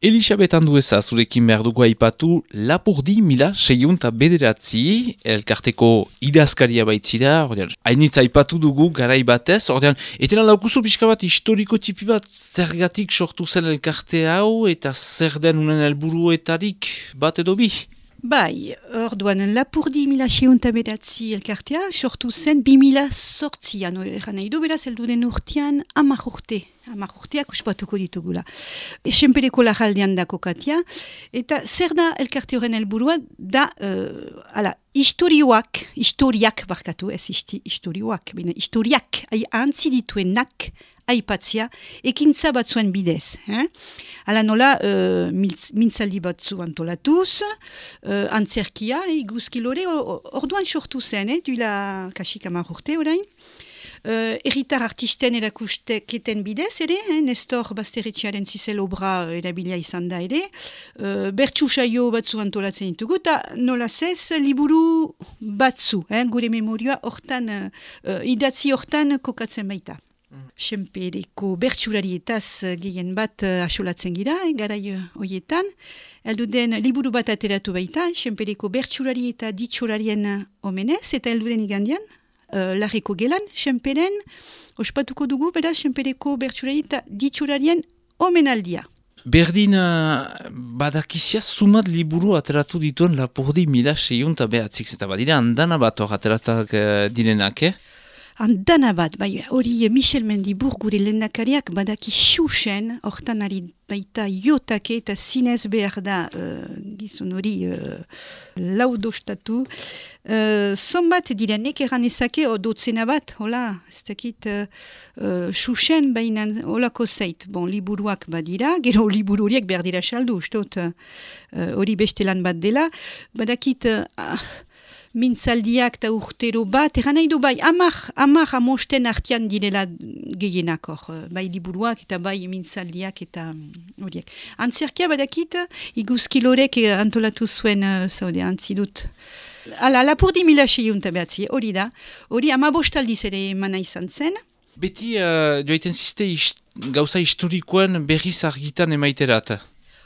Elisabet Andueza zurekin behar dugu aipatu Lapurdi 1609 elkarteko idazkaria baitzira, ordean, hainitz aipatu dugu garai batez, ordean, etena laukuzu pixka bat historiko tipi bat zergatik sortu zen elkarte hau eta zer den unen helburuetarik bat edo bi? Bai, orduan, Lapurdi 1609 elkartea sortu zen 2008an, eran nahi du beraz, heldu den urtean 10 urte. Urteak uspatuko ditugula. Senpereko lajaldean da kokatia, eta zer da elkarte horren helburua da, historiak barkatu, ez historiak, ahantzi dituenak aipatzia, ekintza batzuen bidez. Hala nola, mintzaldi batzu antolatuz, antzerkia, iguzkilore, orduan sortu zen, duela kasik 10 urte orain, erritar artisten erakusteketen bidez ere, Nestor Basteretxearen zizel obra erabilia izan da ere, bertsu saio batzu antolatzen ditugu, eta nola zez, liburu batzu, gure memorioa hortan, idatzi hortan kokatzen baita. Senpereko bertsularietaz gehien bat asolatzen gira, garai hoietan, heldu den liburu bat ateratu baita, Senpereko bertsulari eta ditxolarien omenez, eta heldu den igandian, Larreko gelan, Senperen, ospatuko dugu, beraz, Senpereko bertsulari eta ditxolarien omenaldia. Berdin badakizia sumat liburu ateratu dituen Lapurdi 1609, eta badira andana bat hor ateratak direnak, Andana bat, bai, hori Michel Mendibur gure lehendakariak badaki xuxen, hortan ari baita jotake eta zinez behar da gizon hori laudostatu. Zonbat direnek eran ezake dotzena bat, hola, ez dakit xuxen bainan holako zait. Bon, liburuak badira, gero liburu horiek behar dira saldu, ustot hori beste lan bat dela. Badakit... mintzaldiak eta urtero bat, eran nahi du bai, amar amosten artian direla gehienak hor, bai liburuak eta bai mintzaldiak eta horiek. Antzerkia badakit, iguzkilorek antolatu zuen, zaude, antzidut. Lapurdi 1609, hori da, hori 15 aldiz ere emana izan zen. Beti joaiten ziste gauza historikoen berriz argitan emaiterat.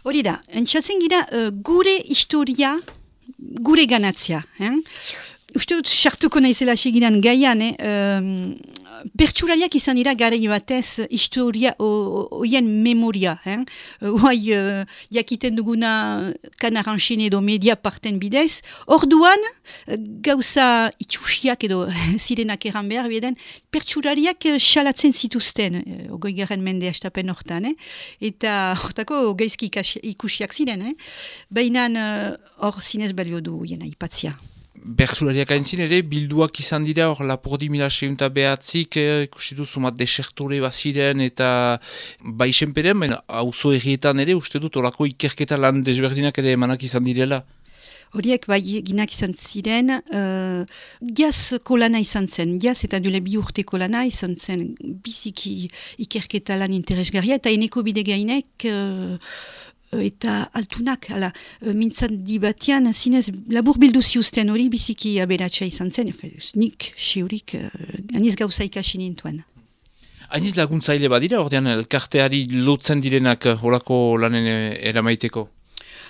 Hori da, entzatzen gira gure historia, gure ganatzia. Uste dut, sartuko naizela segidan gaian, bertsulariak izan dira garai batez historia oien memoria. Oai jakiten duguna Kanaranxin edo media parten bidez. Orduan, gauza itxusiak edo zirenak eran behar beden, bertsulariak xalatzen zituzten, 20. mende astapen hortan, eta hortako gaizki ikusiak ziren. Baina hor zinez balio du oien aipatzia. Bertsulariak aintzin ere, bilduak izan dira, hor Lapurdi 1609 ikusi du sumat desertore baziren eta bai Senperen, auzo errietan ere, uste dut, orako ikerketa lan desberdinak ere emanak izan direla. Horiek bai ginak izan ziren, jaz kolana izan zen, jaz eta dule 2 urte kolana izan zen biziki ikerketa lan interesgarria, eta eneko bide gainek eta altunak, mintzaldi batean, zinez labur bildu ziuzten hori biziki aberatsa izan zen, nik, siurik, aniz gauza ikasi nintuen. Aniz laguntzaile badira, ordean elkarteari lotzen direnak horako lanen eramaiteko?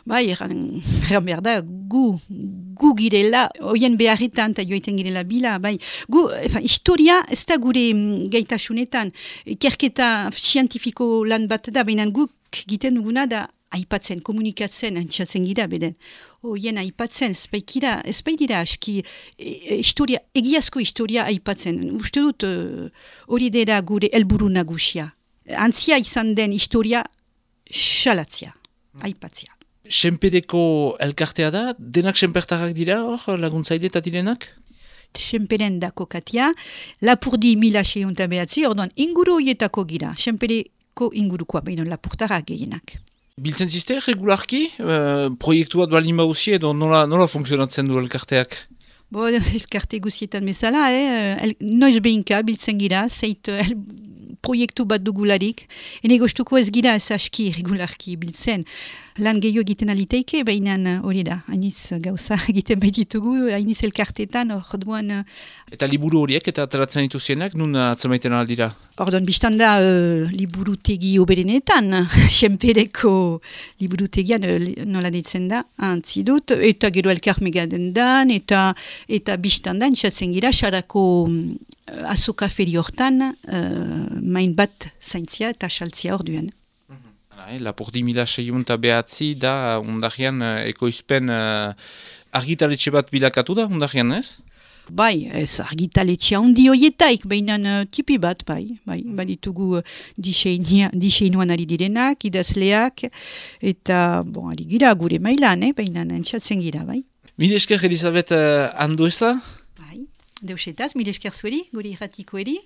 Bai, eran behar da, gu girela, oien beharretan eta joiten girela bila, bai. Historia ez da gure gaitasunetan, ikerketa zientifiko lan bat da, baina guk giten duguna da aipatzen, komunikatzen, antxatzen gira, beden. Oien aipatzen, ez baitira aski egiazko historia aipatzen. Uste dut hori dira gure helburu nagusia. Antzia izan den historia xalatzia, aipatzia. Senpereko elkartea da, denak senpertarrak dira hor laguntzaile eta direnak? Senperen da kokatia, Lapurdi 1609, orduan inguru horietako gira, Senpereko ingurukoa behinon Lapurtarrak gehienak. Biltzen ziste, regularki? Proiektu bat balin bauzi edo nola funtzionatzen du elkarteak? Elkarte guzietan bezala, noiz behinka biltzen gira, zeit proiektu bat dugularik, ene gostuko ez gira ez aski regularki biltzen. Lan gehiago egiten aliteike, baina hori da, hainiz gauza egiten baititugu, hainiz elkartetan, orduan... Eta liburu horiek eta ateratzen dituzienak, nun atzamaiten aldira? Orduan, biztan da liburutegi oberenetan, Senpereko liburutegian nola ditzen da, antzi dut, eta gero elkar megaden dan, eta biztan da, entzatzen gira, xarako azoka feri hortan, main bat zaintzia eta saltzia orduan. Lapurdi mila seiunta behatzi da ondarian ekoizpen argitaletxe bat bilakatu da ondarian, ez? Bai, ez argitaletxea handi hoietaik, behinan tipi bat, bai ditugu diseinuan ari direnak, idazleak, eta, ari gira gure mailan, behinan entzatzen gira, bai. Mil esker, Elisabet Andueza? Bai, deusetaz, mil esker zueri, gure irratiko eri.